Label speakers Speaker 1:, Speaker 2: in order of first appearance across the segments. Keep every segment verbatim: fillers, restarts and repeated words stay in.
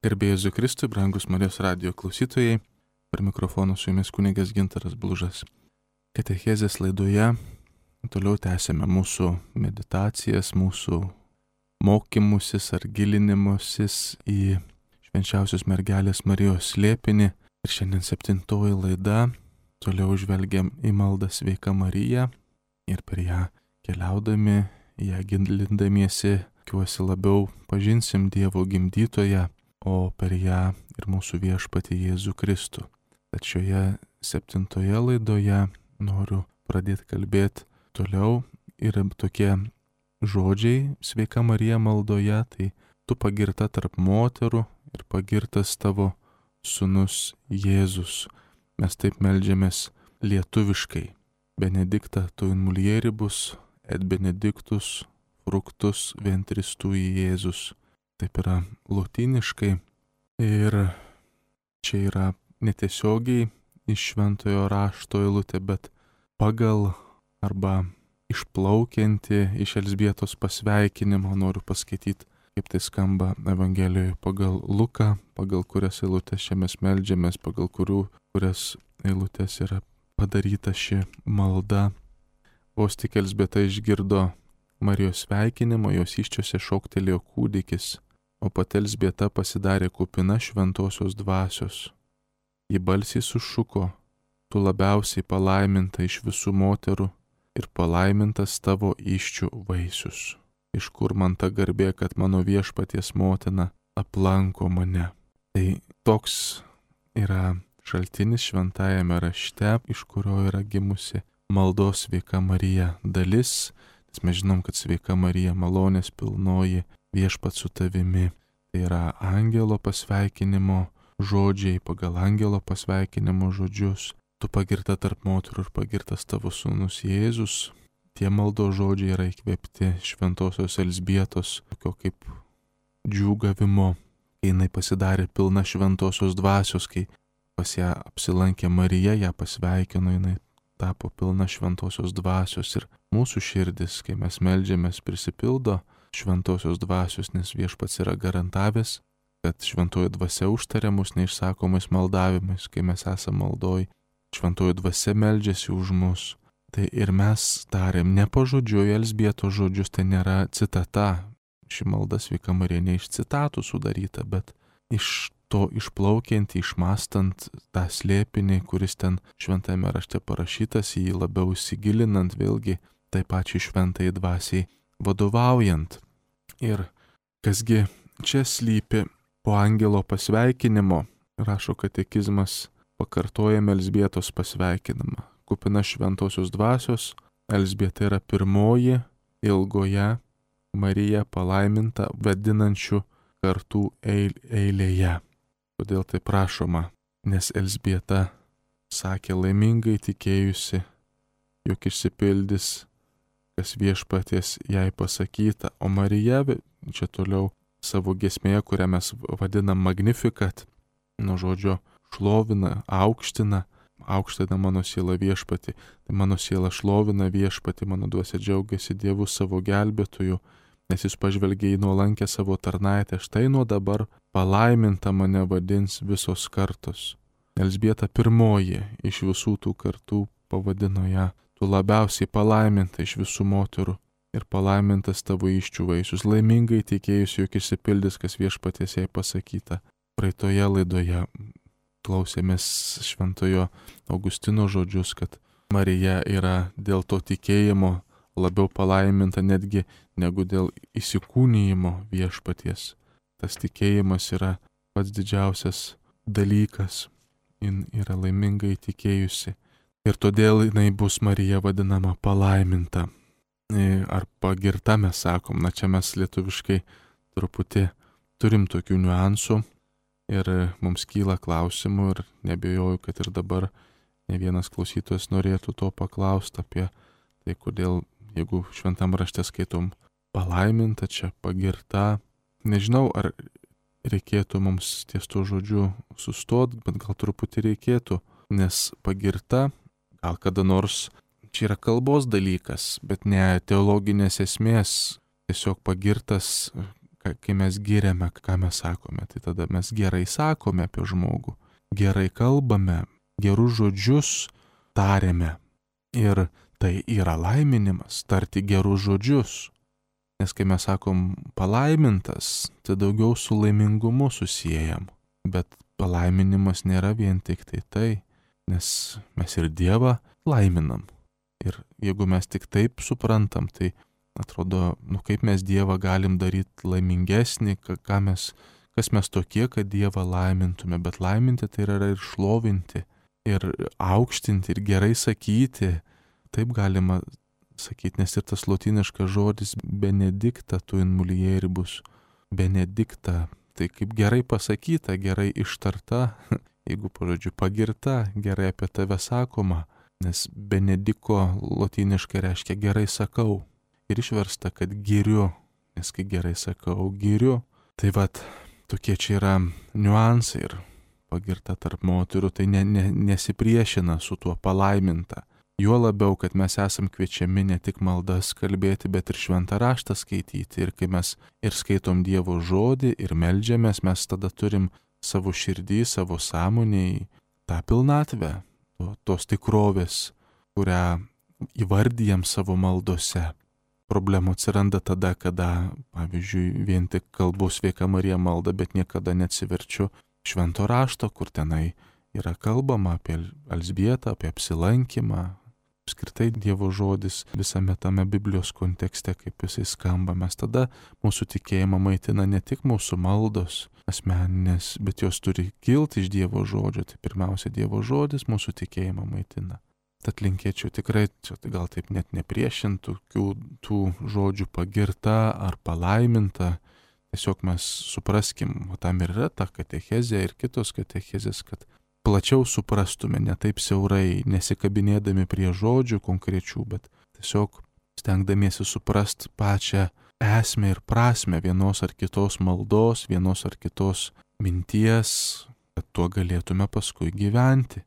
Speaker 1: Garbėjai Jėzui Kristui, brangus Marijos radijo klausytojai, per mikrofoną su jumis kunigas Gintaras Blužas. Katechezės laidoje toliau tęsėme mūsų meditacijas, mūsų mokymusis ar gilinimusis į švenčiausios mergelės Marijos slėpinį. Ir šiandien septintoji laida, toliau žvelgiam į maldą Sveika Marija ir per ją keliaudami, ją gilindamiesi, tikiuosi labiau pažinsim Dievo gimdytoją, o per ją ir mūsų viešpatį Jėzų Kristų. Tad šioje septintoje laidoje noriu pradėti kalbėti toliau. Yra tokie žodžiai Sveika Marija maldoje, tai tu pagirta tarp moterų ir pagirtas tavo sūnus Jėzus. Mes taip meldžiamės lietuviškai. Benedicta tu in mulieribus et benedictus fructus ventris tui Jėzus. Taip yra lotyniškai ir čia yra netiesiogiai iš šventojo rašto eilutė, bet pagal arba išplaukianti iš Elzbietos pasveikinimo noriu paskaityti, kaip tai skamba Evangelijoje pagal Luką, pagal kurias eilutės čia mes meldžiamės, pagal kurių, kurias eilutės yra padaryta ši malda. Vos tik Elzbieta išgirdo Marijos sveikinimo, jos įsčiose šoktelėjo kūdikis, o pati Elzbieta pasidarė kupina šventosios dvasios. Ji balsiai sušuko, tu labiausiai palaiminta iš visų moterų ir palaimintas tavo įsčių vaisius. Iš kur man ta garbė, kad mano viešpaties motina aplanko mane. Tai toks yra šaltinis šventajame rašte, iš kurio yra gimusi maldos Sveika Marija dalis. Mes žinom, kad Sveika Marija malonės pilnoji, viešpats su tavimi. Tai yra angelo pasveikinimo žodžiai, pagal angelo pasveikinimo žodžius. Tu pagirta tarp moterų ir pagirtas tavo sūnus Jėzus. Tie maldo žodžiai yra įkvėpti šventosios Elzbietos, tokio kaip džiūgavimo, kai jinai pasidarė pilna šventosios dvasios, kai pas ją apsilankė Marija, ją pasveikino, jinai tapo pilna šventosios dvasios. Ir mūsų širdis, kai mes meldžiamės, prisipildo šventosios dvasios, nes viešpats yra garantavęs, kad šventoji dvasia užtaria mus neišsakomais maldavimais, kai mes esame maldoj. Šventoji dvasia meldžiasi už mus. Tai ir mes darėm ne pažodžiui Elzbietos žodžius, tai nėra citata. Ši malda Sveika Marija ne iš citatų sudaryta, bet iš to išplaukiant, išmastant tą slėpinį, kuris ten šventame rašte parašytas, jį labiau įsigilinant, vėlgi tai pačiai šventai dvasiai vadovaujant. Ir kasgi čia slypi po angelo pasveikinimo, rašo katekizmas, pakartojame Elzbietos pasveikinimą. Kupina šventosios dvasios, Elzbieta yra pirmoji ilgoje Mariją palaiminta vadinančių kartų eilėje. Kodėl tai prašoma? Nes Elzbieta sakė laimingai tikėjusi, jog išsipildys, kas viešpaties jai pasakyta, o Marija, čia toliau savo giesmėje, kurią mes vadinam Magnificat, nuo žodžio šlovina, aukština, aukština mano siela viešpatį, tai mano siela šlovina viešpatį, mano dvasia džiaugiasi Dievu savo gelbėtoju, nes jis pažvelgė į nuolankę savo tarnaitę, štai nuo dabar palaiminta mane vadins visos kartos. Elzbieta pirmoji iš visų tų kartų pavadino ją, tu labiausiai palaiminta iš visų moterų ir palaimintas tavo įsčių vaisius, laimingai tikėjusi, jog išsipildys, kas viešpaties jai pasakyta. Praeitoje laidoje klausėmės šventojo Augustino žodžius, kad Marija yra dėl to tikėjimo labiau palaiminta netgi negu dėl įsikūnijimo viešpaties. Tas tikėjimas yra pats didžiausias dalykas. Jin yra laimingai tikėjusi. Ir todėl jinai bus Marija vadinama palaiminta. Ar pagirta mes sakom, na čia mes lietuviškai truputį turim tokių niuansų ir mums kyla klausimų ir nebejoju, kad ir dabar ne vienas klausytojas norėtų to paklausti apie tai, kodėl, jeigu šventam rašte skaitom palaiminta, čia pagirta. Nežinau, ar reikėtų mums ties to žodžiu sustot, bet gal truputį reikėtų, nes pagirta, gal kada nors, čia yra kalbos dalykas, bet ne teologinės esmės, tiesiog pagirtas, kai mes giriame, ką mes sakome, tai tada mes gerai sakome apie žmogų, gerai kalbame, gerus žodžius tariame. Ir tai yra laiminimas, tarti gerus žodžius. Nes kai mes sakom palaimintas, tai daugiau su laimingumu susijęjam. Bet palaiminimas nėra vien tik tai tai, nes mes ir Dievą laiminam. Ir jeigu mes tik taip suprantam, tai atrodo, nu kaip mes Dievą galim daryti laimingesnį, ką mes, kas mes tokie, kad Dievą laimintume. Bet laiminti tai yra ir šlovinti, ir aukštinti, ir gerai sakyti. Taip galima sakyti, nes ir tas lotyniškas žodis benedikta tu in mulieribus, benedikta, tai kaip gerai pasakyta, gerai ištarta, jeigu pažodžiu pagirta, gerai apie tave sakoma, nes benediko lotyniškai reiškia gerai sakau ir išversta, kad giriu, nes kai gerai sakau, giriu. Tai vat, tokie čia yra niuansai ir pagirta tarp moterų, tai ne, ne, nesipriešina su tuo palaiminta. Juo labiau, kad mes esam kviečiami ne tik maldas kalbėti, bet ir šventą raštą skaityti. Ir kai mes ir skaitom Dievo žodį ir meldžiamės, mes tada turim savo širdį, savo sąmonėj tą pilnatvę, tos tikrovės, kurią įvardyjam savo maldose. Problemų atsiranda tada, kada, pavyzdžiui, vien tik kalbu Sveika Marija maldą, bet niekada neatsiverčiu švento rašto, kur tenai yra kalbama apie Elzbietą, apie apsilankymą. Apskritai Dievo žodis visame tame Biblijos kontekste, kaip jisai skamba, mes tada mūsų tikėjimą maitina ne tik mūsų maldos asmeninės, bet jos turi kilti iš Dievo žodžio. Tai pirmiausia, Dievo žodis mūsų tikėjimą maitina. Tad linkėčiau tikrai, čia gal taip net nepriešintų tų, tų žodžių pagirta ar palaiminta. Tiesiog mes supraskim, o tam ir yra ta katechezė ir kitos katechezės, kad plačiau suprastume, ne taip siaurai, nesikabinėdami prie žodžių konkrečių, bet tiesiog stengdamiesi suprast pačią esmę ir prasmę vienos ar kitos maldos, vienos ar kitos minties, kad tuo galėtume paskui gyventi.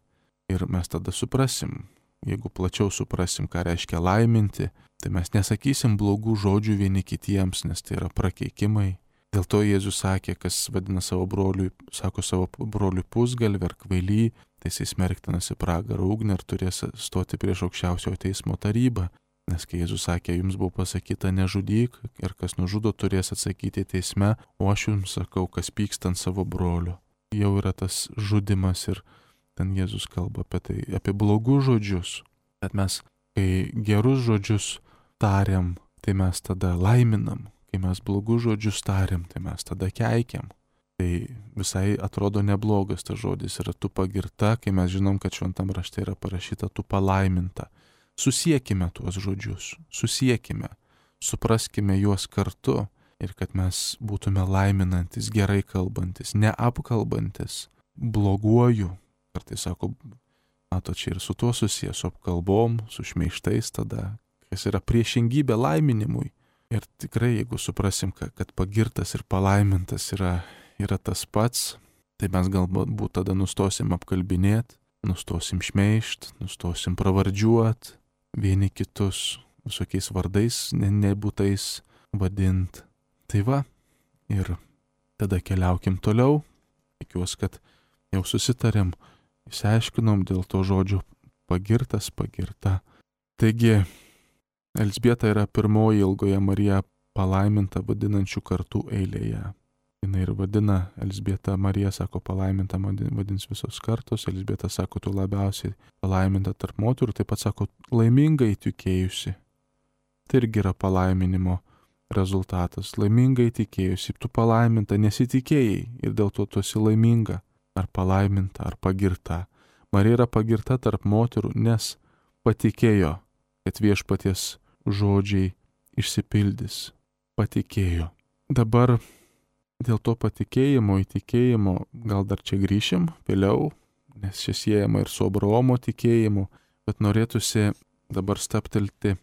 Speaker 1: Ir mes tada suprasim, jeigu plačiau suprasim, ką reiškia laiminti, tai mes nesakysim blogų žodžių vieni kitiems, nes tai yra prakeikimai. Dėl to Jėzus sakė, kas vadina savo broliui, sako savo broliui pusgalvį ar kvailį, tai jis smerktinas į pragarą ugnį ir turės stoti prieš aukščiausiojo teismo tarybą. Nes kai Jėzus sakė, jums buvo pasakyta nežudyk ir kas nužudo turės atsakyti teisme, o aš jums sakau, kas pyksta ant savo brolio. Jau yra tas žudimas ir ten Jėzus kalba apie tai, apie blogus žodžius. Bet mes, kai gerus žodžius tariam, tai mes tada laiminam. Kai mes blogus žodžius tariam, tai mes tada keikiam. Tai visai atrodo neblogas tas žodis yra tu pagirta, kai mes žinom, kad šventam rašte yra parašyta tu palaiminta. Susiekime tuos žodžius, susiekime, supraskime juos kartu ir kad mes būtume laiminantis, gerai kalbantis, neapkalbantis, bloguoju. Kartais sako, mato, čia ir su tuo susijęs, su apkalbom, su šmeištais tada, kas yra priešingybė laiminimui. Ir tikrai, jeigu suprasim, kad pagirtas ir palaimintas yra, yra tas pats, tai mes galbūt tada nustosim apkalbinėti, nustosim šmeišt, nustosim pravardžiuot, vieni kitus visokiais vardais ne, nebūtais vadint. Tai va, ir tada keliaukim toliau. Tikiuosi, kad jau susitarėm, išsiaiškinom dėl to žodžio pagirtas, pagirta. Taigi, Elzbieta yra pirmoji ilgoje Mariją palaimintą vadinančių kartų eilėje. Jis ir vadina Elzbieta Mariją, sako, palaimintą vadins visos kartos. Elzbieta sako, tu labiausiai palaiminta tarp moterų, taip pat sako, laimingai tikėjusi. Tai irgi yra palaiminimo rezultatas. Laimingai tikėjusi, tu palaiminta, nesitikėjai ir dėl to tu esi laiminga, ar palaiminta, ar pagirta. Marija yra pagirta tarp moterų, nes patikėjo, kad viešpaties žodžiai išsipildys. Patikėjo. Dabar dėl to patikėjimo, įtikėjimo, gal dar čia grįšim vėliau, nes čia siejama ir su Abraomo tikėjimu, bet norėtųsi dabar staptelti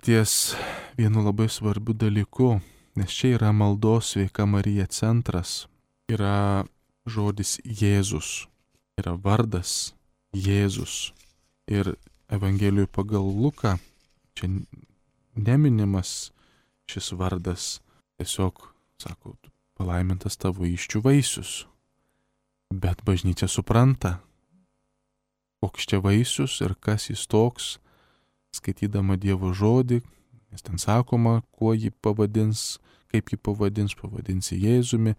Speaker 1: ties vienu labai svarbiu dalyku, nes čia yra maldos Sveika Marija centras, yra žodis Jėzus, yra vardas Jėzus. Ir Evangelijų pagal Luką čia neminimas šis vardas, tiesiog Sako, palaimintas tavo įsčių vaisius. Bet bažnyčia supranta, koks čia vaisius ir kas jis toks, skaitydama Dievo žodį, nes ten sakoma, kuo jį pavadins, kaip jį pavadins, pavadins Jėzumi,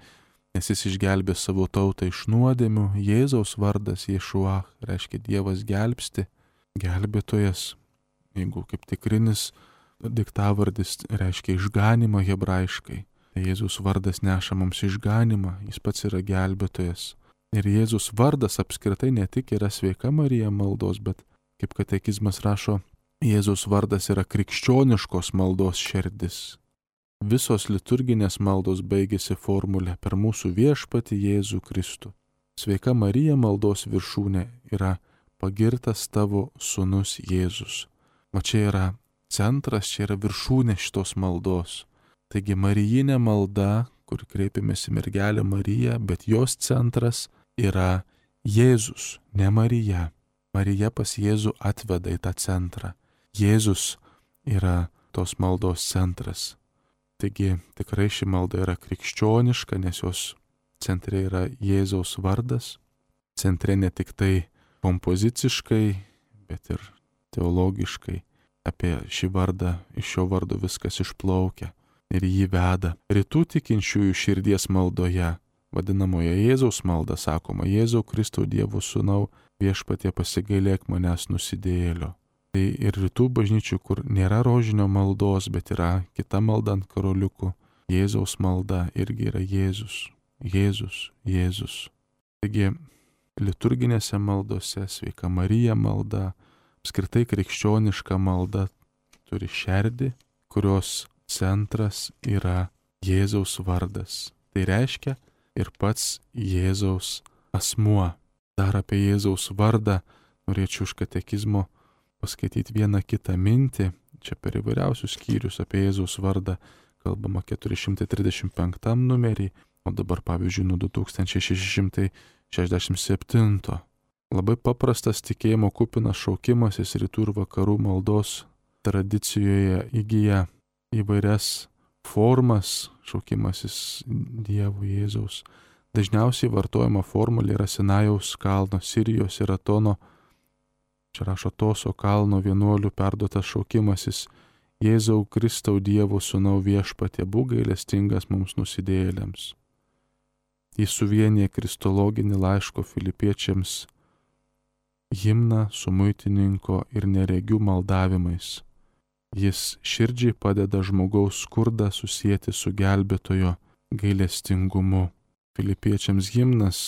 Speaker 1: nes jis išgelbė savo tautą iš nuodėmių. Jėzaus vardas Ješua reiškia Dievas gelbsti, gelbėtojas. Jeigu kaip tikrinis diktavardis reiškia išganimą hebrajiškai, tai Jėzus vardas neša mums išganimą, jis pats yra gelbėtojas. Ir Jėzus vardas apskritai ne tik yra Sveika Marija maldos, bet kaip katekizmas rašo, Jėzus vardas yra krikščioniškos maldos šerdis. Visos liturginės maldos baigėsi formulė per mūsų viešpatį Jėzų Kristų. Sveika Marija maldos viršūnė yra pagirtas tavo sūnus Jėzus. O čia yra centras, čia yra viršūnė šitos maldos. Taigi marijinė malda, kur kreipiamės į mergelę Mariją, bet jos centras yra Jėzus, ne Marija. Marija pas Jėzų atveda į tą centrą. Jėzus yra tos maldos centras. Taigi tikrai ši malda yra krikščioniška, nes jos centre yra Jėzaus vardas. Centre ne tik tai kompoziciškai, bet ir teologiškai. Apie šį vardą, iš šio vardo viskas išplaukia ir jį veda. Rytų tikinčiųjų širdies maldoje, vadinamoje Jėzaus malda, sakoma, Jėzau Kristau Dievo sūnau, viešpatie pasigailėk manęs nusidėjėlio. Tai ir rytų bažnyčių, kur nėra rožinio maldos, bet yra kita malda ant karoliukų, Jėzaus malda irgi yra Jėzus, Jėzus, Jėzus. Taigi liturginėse maldose Sveika Marija malda, apskritai krikščioniška malda turi šerdį, kurios centras yra Jėzaus vardas. Tai reiškia ir pats Jėzaus asmuo. Dar apie Jėzaus vardą norėčiau iš katekizmo paskaityti vieną kitą mintį. Čia per įvairiausius skyrius apie Jėzaus vardą kalbama keturi šimtai trisdešimt penktam numerį, o dabar pavyzdžiui nuo du tūkstančiai šeši šimtai šešiasdešimt septinto. Labai paprastas tikėjimo kupinas šaukimasis rytų ir vakarų maldos tradicijoje įgyja įvairias formas, šaukimasis Dievo Jėzaus. Dažniausiai vartojama formulė yra Sinajaus kalno, Sirijos ir Atono, čia rašo Toso kalno vienuolių perduotas šaukimasis Jėzau Kristau Dievo sūnau viešpatie, būk gailestingas mums nusidėjėliams. Jis suvienyje kristologinį laiško Filipiečiams himną su muitininko ir neregių maldavimais. Jis širdžiai padeda žmogaus skurdą susijęti su gelbėtojo gailestingumu. Filipiečiams himnas,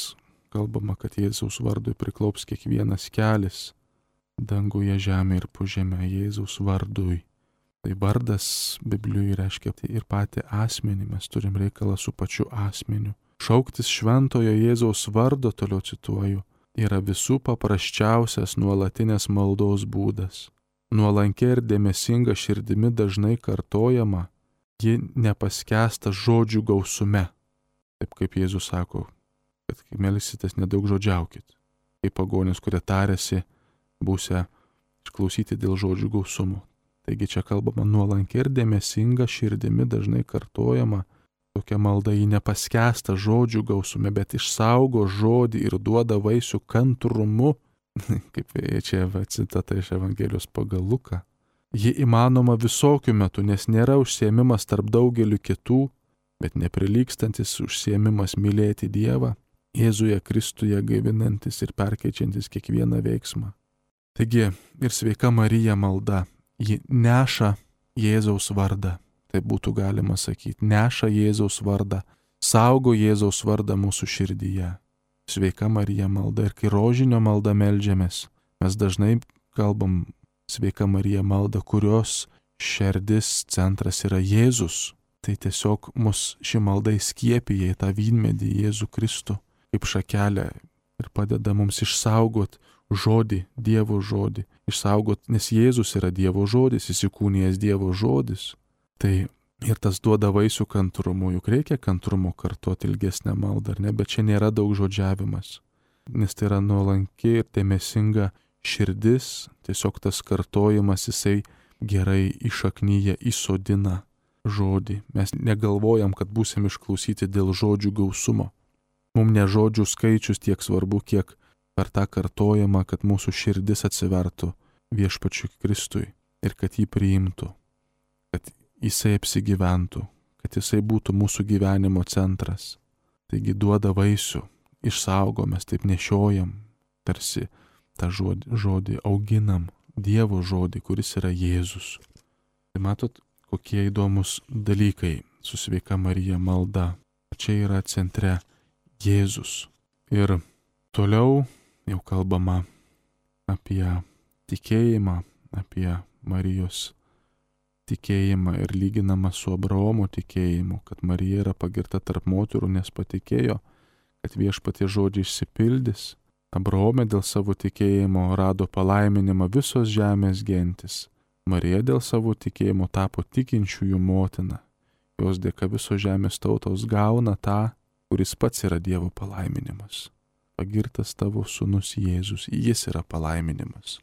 Speaker 1: kalbama, kad Jėzaus vardui priklaups kiekvienas kelis, danguje, žemė ir po žemę Jėzaus vardui. Tai vardas Biblijoje reiškia tai ir patį asmenį, mes turim reikalą su pačiu asmeniu. Šauktis šventojo Jėzaus vardo, toliau cituoju, yra visų paprasčiausias nuolatinės maldos būdas. Nuolankia ir dėmesinga širdimi dažnai kartojama, ji nepaskęsta žodžių gausume. Taip kaip Jėzus sako, kad kai melsitės nedaug žodžiaukit. Kaip pagonys, kurie tarėsi, būsia išklausyti dėl žodžių gausumo. Taigi čia kalbama nuolankia ir dėmesinga širdimi dažnai kartojama. Tokia malda jį nepaskęsta žodžių gausume, bet išsaugo žodį ir duoda vaisių kantrumu. Kaip čia va, citata iš Evangelijos pagal Luką. Ji įmanoma visokių metų, nes nėra užsiėmimas tarp daugelių kitų, bet neprilygstantis užsiėmimas mylėti Dievą, Jėzuje Kristuje gaivinantis ir perkeičiantis kiekvieną veiksmą. Taigi ir Sveika Marija malda, ji neša Jėzaus vardą. Tai būtų galima sakyti, neša Jėzaus vardą, saugo Jėzaus vardą mūsų širdyje. Sveika Marija malda ir kai rožinio malda meldžiamės, mes dažnai kalbam Sveika Marija malda, kurios šerdis centras yra Jėzus. Tai tiesiog mus ši malda įskiepija į tą vynmedį Jėzų Kristų kaip šakelę ir padeda mums išsaugot žodį, Dievo žodį. Išsaugot, nes Jėzus yra Dievo žodis, įsikūnijęs Dievo žodis. Tai ir tas duoda vaisių kantrumu, juk reikia kantrumo kartuoti ilgesnę maldą, ar ne, bet čia nėra daug žodžiavimas, nes tai yra nuolanki ir dėmesinga širdis, tiesiog tas kartojimas jisai gerai įšaknyje įsodina žodį. Mes negalvojam, kad būsim išklausyti dėl žodžių gausumo. Mums ne žodžių skaičius tiek svarbu, kiek per tą kartojimą, kad mūsų širdis atsivertų Viešpačiui Kristui ir kad jį priimtų, kad jisai apsigyventų, kad jisai būtų mūsų gyvenimo centras. Taigi duoda vaisių, išsaugo, mes taip nešiojam, tarsi tą žodį, žodį auginam, Dievo žodį, kuris yra Jėzus. Tai matot, kokie įdomus dalykai su sveika Marija malda. Čia yra centre Jėzus. Ir toliau jau kalbama apie tikėjimą, apie Marijos tikėjimą ir lyginama su Abraomo tikėjimu, kad Marija yra pagirta tarp moterų, nes patikėjo, kad Viešpaties žodžiai išsipildys. Abraome dėl savo tikėjimo rado palaiminimą visos žemės gentis. Marija dėl savo tikėjimo tapo tikinčiųjų motina. Jos dėka visos žemės tautos gauna tą, kuris pats yra Dievo palaiminimas. Pagirtas tavo sūnus Jėzus, jis yra palaiminimas.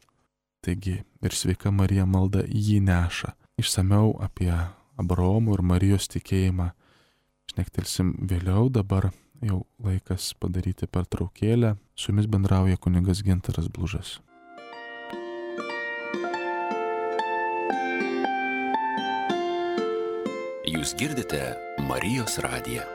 Speaker 1: Taigi ir sveika Marija malda jį neša. Išsamiau apie Abraomo ir Marijos tikėjimą šnektelsim vėliau, dabar jau laikas padaryti pertraukėlę. Su jumis bendrauja kunigas Gintaras Blužas.
Speaker 2: Jūs girdite Marijos radiją.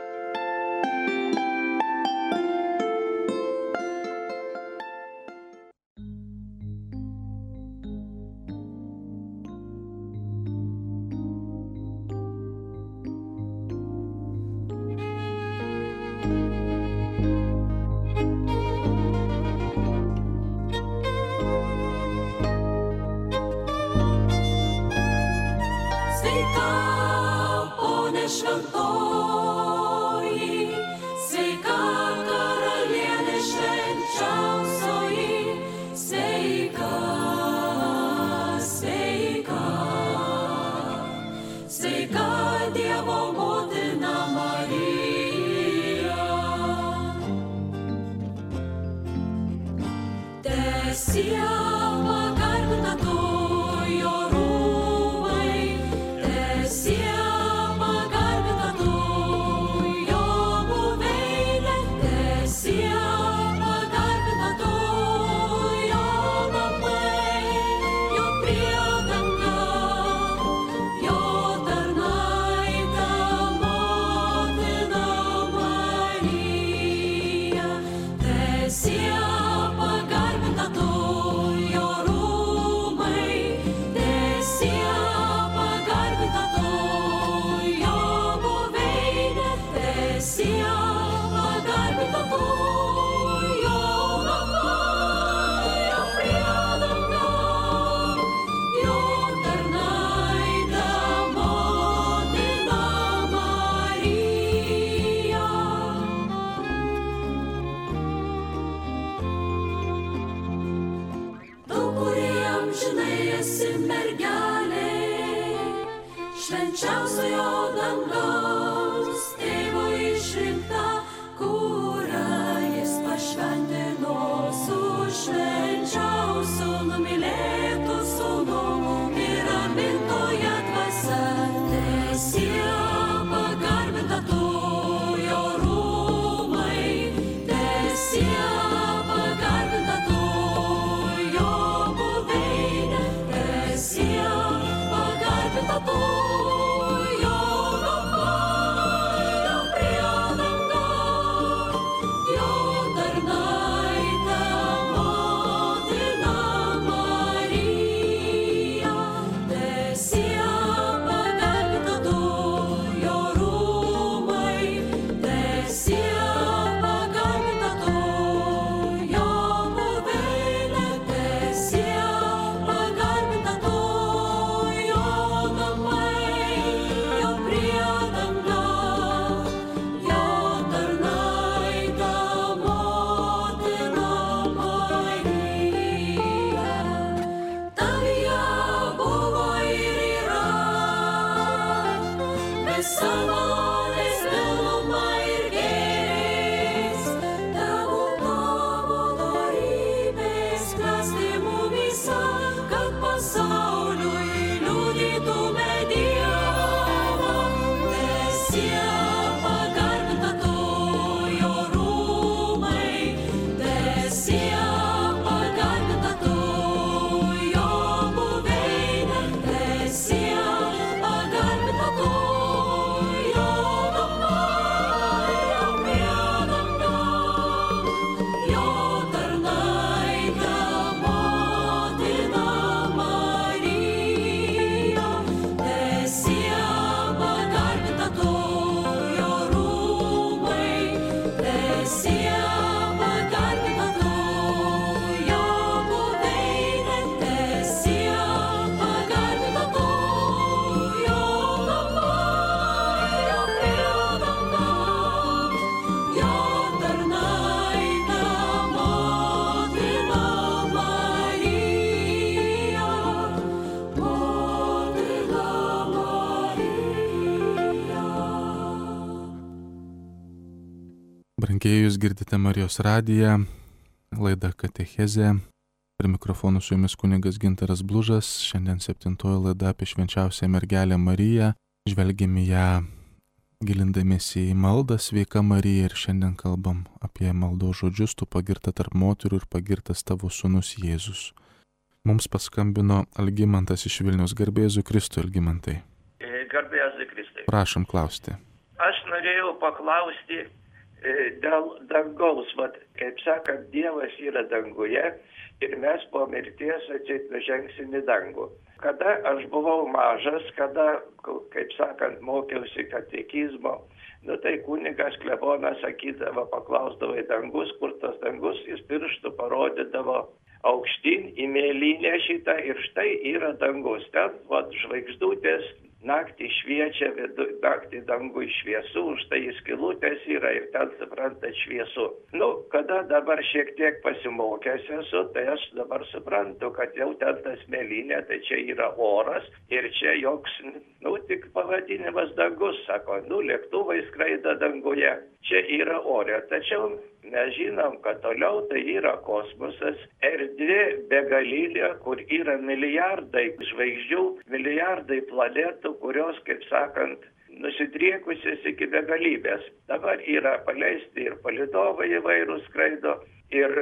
Speaker 3: Pagarba to, jo
Speaker 1: Brangiai, jūs girdite Marijos radiją, laida Katechezė. Prie mikrofonų su jumis kunigas Gintaras Blužas. Šiandien septintoji laida apie švenčiausią mergelę Mariją. Žvelgėme ją gilindamiesi į maldą Sveika Marija ir šiandien kalbam apie maldos žodžius: tu pagirta tarp moterų ir pagirtas tavo sūnus Jėzus. Mums paskambino Algimantas iš Vilniaus. Garbė Jėzui Kristui, Algimantai.
Speaker 3: Garbė Jėzui Kristui.
Speaker 1: Prašom klausti.
Speaker 3: Aš norėjau paklausti dėl dangaus. Vat, kaip sakant, Dievas yra danguje ir mes po mirties atseit nužengsim į dangų. Kada aš buvau mažas, kada, kaip sakant, mokiausi katekizmo, nu tai kunigas klebonas sakydavo, paklausdavo į dangus, kur tas dangus, jis pirštų parodydavo aukštyn į mėlynę šitą ir štai yra dangus. Ten, vat, žvaigždutės, naktį šviečia, vidu, naktį dangui šviesu, štai skylutės yra ir ten, suprantat, šviesu. Nu, kada dabar šiek tiek pasimokęs esu, tai aš dabar suprantu, kad jau ten tas mėlynė, tai čia yra oras ir čia joks, nu, tik pavadinimas dangus, sako, nu, lėktuvai skraido danguje, čia yra ore. Tačiau mes žinom, kad toliau tai yra kosmosas, erdvė begalinė, kur yra milijardai žvaigždžių, milijardai planetų, kurios, kaip sakant, nusidriekusios iki begalybės. Dabar yra paleisti ir palydovai įvairūs skraido, ir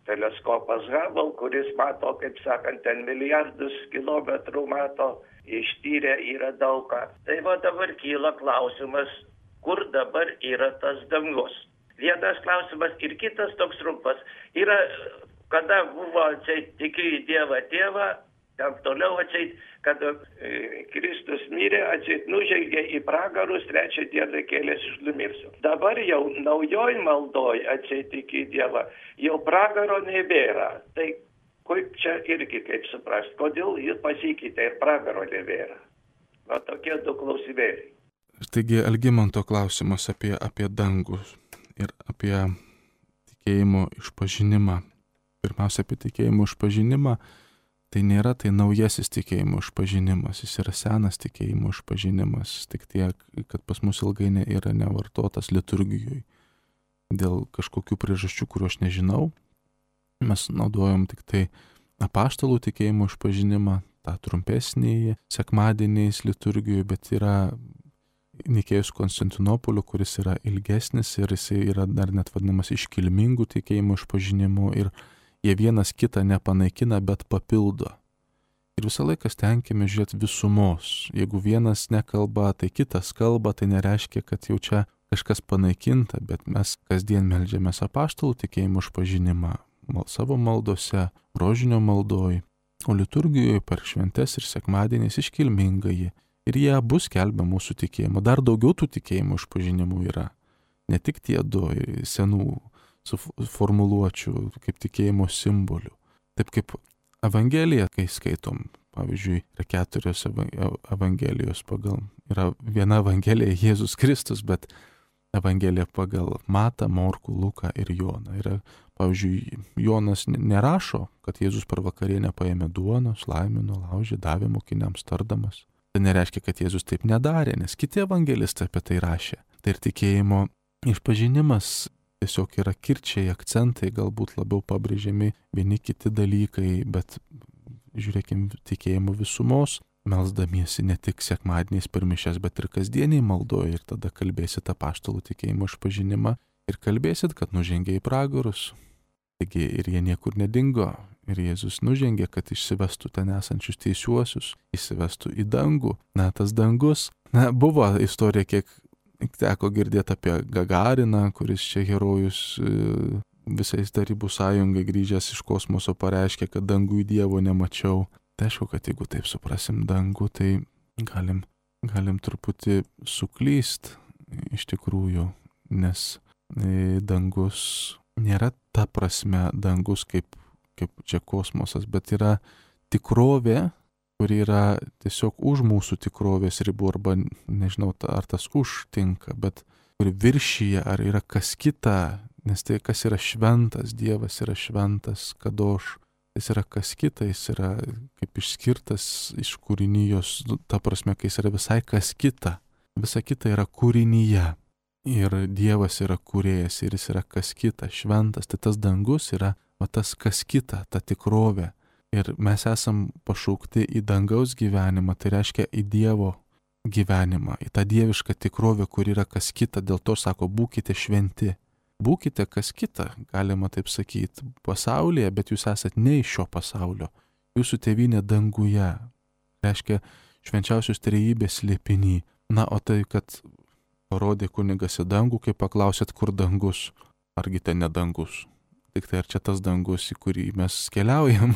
Speaker 3: teleskopas Hubble, kuris mato, kaip sakant, ten milijardus kilometrų mato, ištyrę yra daug ką. Tai va dabar kyla klausimas, kur dabar yra tas dangus. Vienas klausimas ir kitas toks trumpas. Yra, kada buvo atseit tikiu į Dievą tėvą, ten toliau atseit, kada e, Kristus mirė, atseit nužengė į pragarus, trečią dieną kėlėsi iš numirsių. Dabar jau naujoj maldoj atseit tikiu į Dievą, jau pragaro nebėra. Tai kaip čia irgi, kaip suprast, kodėl jis pasikeitė ir pragaro nebėra. Va tokie du klausimėliai.
Speaker 1: Taigi Algimanto klausimas apie, apie dangus ir apie tikėjimo išpažinimą. Pirmiausia, apie tikėjimo išpažinimą, tai nėra tai naujasis tikėjimo išpažinimas, jis yra senas tikėjimo išpažinimas, tik tiek, kad pas mus ilgai ne, yra nevartotas liturgijoje. Dėl kažkokių priežasčių, kurių aš nežinau, mes naudojam tik tai apaštalų tikėjimo išpažinimą, tą trumpesnį sekmadieniais liturgijoje, bet yra Nikėjus Konstantinopolio, kuris yra ilgesnis ir jisai yra dar net vadinamas iškilmingų tikėjimų išpažinimu ir jie vienas kitą nepanaikina, bet papildo. Ir visą laiką stenkime žiūrėti visumos. Jeigu vienas nekalba, tai kitas kalba, tai nereiškia, kad jau čia kažkas panaikinta, bet mes kasdien meldžiamės apaštalų tikėjimų išpažinimą mal, savo maldose, rožinio maldoj, o liturgijoje per šventes ir sekmadieniais iškilmingai. Ir jie abu skelbia mūsų tikėjimą. Dar daugiau tų tikėjimų išpažinimų yra. Ne tik tie du senų formuluočių kaip tikėjimo simbolių. Taip kaip Evangeliją, kai skaitom, pavyzdžiui, yra keturios Evangelijos pagal. Yra viena Evangelija Jėzus Kristus, bet Evangelija pagal Matą, Morkų, Luką ir Joną. Yra, pavyzdžiui, Jonas nerašo, kad Jėzus per vakarienę paėmė duonos, laimino, laužė, davė mokiniams tardamas. Tai nereiškia, kad Jėzus taip nedarė, nes kiti evangelistai apie tai rašė. Tai ir tikėjimo išpažinimas tiesiog yra kirčiai, akcentai, galbūt labiau pabrėžiami vieni kiti dalykai, bet žiūrėkim tikėjimo visumos, melsdamiesi ne tik sekmadieniais per mišias, bet ir kasdieniai maldoje ir tada kalbėsit apaštalų tikėjimo išpažinimą ir kalbėsit, kad nužengė į pragarus. Taigi ir jie niekur nedingo. Ir Jėzus nužengė, kad išsivestų ten esančius teisiuosius, išsivestų į dangų. Na, tas dangus, na, buvo istorija, kiek teko girdėti apie Gagariną, kuris čia herojus visais Tarybų sąjungai grįžęs iš kosmoso pareiškė, kad dangų į Dievo nemačiau. Tai aišku, kad jeigu taip suprasim dangų, tai galim, galim truputį suklyst iš tikrųjų, nes dangus nėra ta prasme dangus kaip kaip čia kosmosas, bet yra tikrovė, kuri yra tiesiog už mūsų tikrovės ribų, arba nežinau, ar tas užtinka, bet kuri viršyje, ar yra kas kita, nes tai kas yra šventas, Dievas yra šventas, kadoš, jis yra kas kita, jis yra kaip išskirtas iš kūrinijos, ta prasme, kai jis yra visai kas kita, visa kita yra kūrinyje. Ir Dievas yra kūrėjas ir jis yra kas kita, šventas. Tai tas dangus yra va tas kas kita, ta tikrovė. Ir mes esam pašaukti į dangaus gyvenimą, tai reiškia į Dievo gyvenimą, į tą dievišką tikrovę, kur yra kas kita. Dėl to sako, būkite šventi. Būkite kas kita, galima taip sakyti, pasaulyje, bet jūs esat ne iš šio pasaulio. Jūsų tėvynė danguje. Reiškia švenčiausios trejybės slėpiny. Na, o tai, kad parodė kunigas į dangų, kai paklausėt, kur dangus, argi ten ne dangus. Tik tai ar čia tas dangus, į kurį mes keliaujam.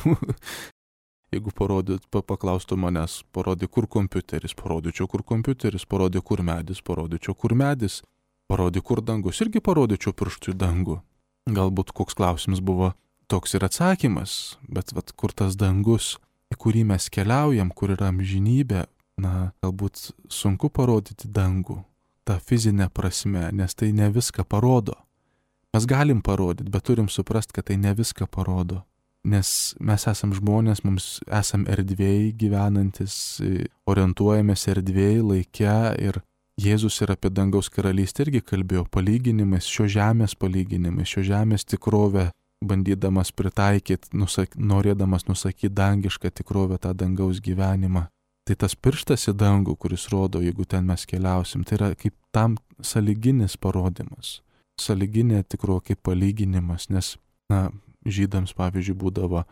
Speaker 1: Jeigu parodyt, paklaustų manęs, parodė, kur kompiuteris, parodyčiau, kur kompiuteris, parodė, kur medis, parodyčiau, kur medis, parodė, kur dangus, irgi parodyčiau pirštų į dangų. Galbūt koks klausimas buvo toks ir atsakymas, bet vat, kur tas dangus, į kurį mes keliaujam, kur yra amžinybė, na, galbūt sunku parodyti dangų, tą fizinę prasme, nes tai ne viską parodo. Mes galim parodyti, bet turim suprasti, kad tai ne viską parodo. Nes mes esam žmonės, mums esam erdvėjai gyvenantis, orientuojamės erdvėjai, laike ir Jėzus ir apie dangaus karalystę irgi kalbėjo palyginimais, šio žemės palyginimais, šio žemės tikrovę, bandydamas pritaikyti, nusak, norėdamas nusakyti dangišką tikrovę, tą dangaus gyvenimą. Tai tas pirštas į dangų, kuris rodo, jeigu ten mes keliausim, tai yra kaip tam sąlyginis parodymas, sąlyginė tikrovė kaip palyginimas, nes, na, žydams, pavyzdžiui, būdavo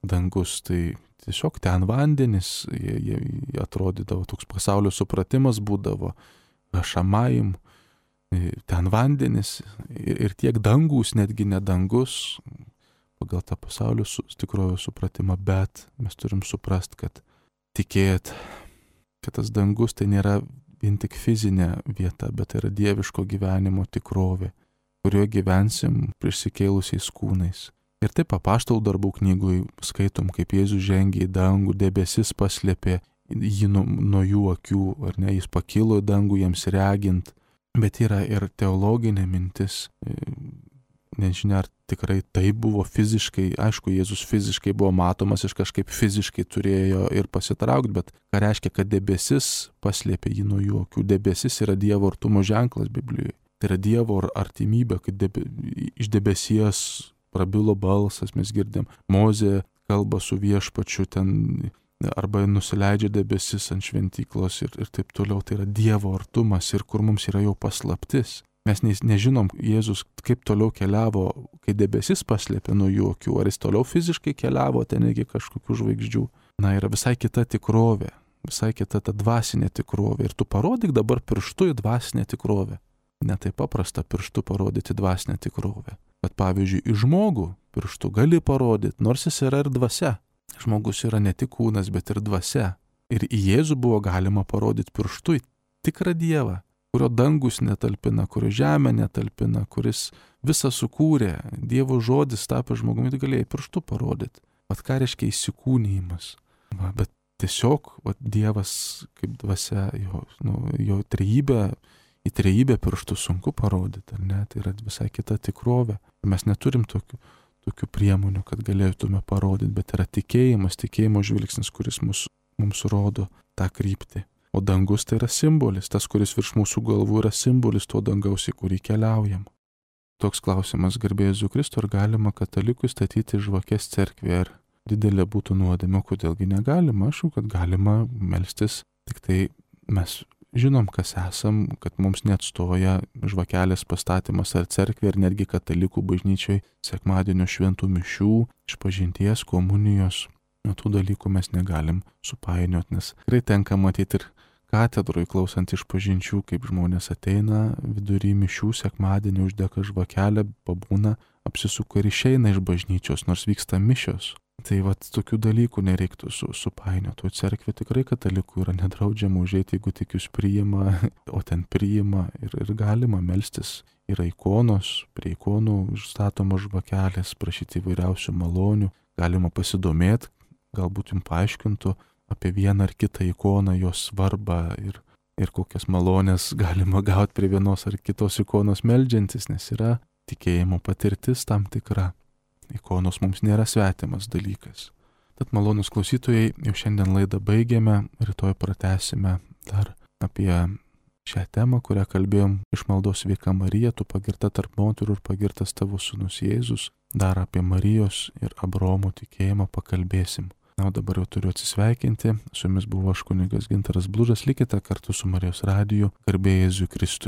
Speaker 1: dangus, tai tiesiog ten vandenis, jie, jie, jie atrodydavo, toks pasaulio supratimas būdavo, šamaim, ten vandenis ir, ir tiek dangus, netgi ne dangus, pagal tą pasaulio su, tikrojo supratimą, bet mes turim suprast, kad tikėt, kad tas dangus tai nėra vien tik fizinė vieta, bet tai yra dieviško gyvenimo tikrovė, kurioje gyvensim prisikėlusiais kūnais. Ir taip apaštalų darbų knygoj skaitom, kaip Jėzus žengė į dangų, debesis paslėpė jį nuo, nuo jų akių, ar ne, jis pakilo į dangų jiems regint, bet yra ir teologinė mintis, nežinia, ar tikrai tai buvo fiziškai, aišku, Jėzus fiziškai buvo matomas, jis kažkaip fiziškai turėjo ir pasitraukti, bet ką reiškia, kad debesis paslėpė jį nuo jų akių, debesis yra Dievo artumo ženklas Biblijoje, tai yra Dievo artimybė, kad debe, iš debesies prabilo balsas, mes girdėm, Mozė kalba su viešpačiu ten, arba nusileidžia debesis ant šventyklos ir, ir taip toliau, tai yra Dievo artumas ir kur mums yra jau paslaptis. Mes ne, nežinom, Jėzus kaip toliau keliavo, kai debesis paslėpė nuo jų akių, ar jis toliau fiziškai keliavo ten iki kažkokių žvaigždžių. Na, yra visai kita tikrovė, visai kita ta dvasinė tikrovė ir tu parodyk dabar pirštu į dvasinę tikrovę. Ne taip paprasta pirštu parodyti dvasinę tikrovę. Bet pavyzdžiui, į žmogų pirštų gali parodyti, nors jis yra ir dvasia. Žmogus yra ne tik kūnas, bet ir dvasia. Ir į Jėzų buvo galima parodyti pirštu į tikrą Dievą, kurio dangus netalpina, kurio žemė netalpina, kuris visą sukūrė. Dievo žodis tapę žmogumi, tai galėjai pirštu parodyti. Vat ką reiškia įsikūnijimas. Va, bet tiesiog va, Dievas kaip dvasia, jo, nu, jo trejybė, į trejybę pirštų sunku parodyti, ar ne? Tai yra visai kita tikrovė. Mes neturim tokių, tokių priemonių, kad galėtume parodyti, bet yra tikėjimas, tikėjimo žvilgsnis, kuris mus, mums rodo tą kryptį. O dangus tai yra simbolis, tas, kuris virš mūsų galvų yra simbolis to dangaus, į kurį keliaujam. Toks klausimas, garbė Jėzų Kristų, ar galima katalikui statyti žvakes cerkvėje, ar didelė būtų nuodėmė, kodėlgi negalima, aš, kad galima melstis, tik tai mes žinom, kas esam, kad mums neatstoja žvakelės pastatymas ar cerkvė, ir netgi katalikų bažnyčiai sekmadienio šventų mišių, išpažinties, komunijos. Nuo tų dalykų mes negalim supainioti, nes tikrai tenka matyti ir katedroje klausant išpažinčių, kaip žmonės ateina vidury mišių sekmadienį, uždega žvakelę, pabūna, apsisuka ir išeina iš bažnyčios, nors vyksta mišios. Tai vat tokių dalykų nereiktų su, supainioti. O cerkvė tikrai katalikų yra nedraudžiama užeiti, jeigu tik jūs priima, o ten priima ir, ir galima melstis. Yra ikonos, prie ikonų užstatomos žvakelės, prašyti įvairiausių malonių. Galima pasidomėti, galbūt jums paaiškintų apie vieną ar kitą ikoną, jos svarbą ir, ir kokias malonės galima gauti prie vienos ar kitos ikonos meldžiantis, nes yra tikėjimo patirtis tam tikra. Ikonos mums nėra svetimas dalykas. Tad malonūs klausytojai, jau šiandien laidą baigėme, rytoj pratęsime dar apie šią temą, kurią kalbėjom iš maldos Sveika Marija, tu pagirta tarp moterų ir pagirtas tavo sūnus Jėzus. Dar apie Marijos ir Abraomo tikėjimą pakalbėsim. Na, o dabar jau turiu atsisveikinti. Su jumis buvo aš kunigas Gintaras Blužas. Likite kartu su Marijos radiju. Garbė Jėzui Kristui.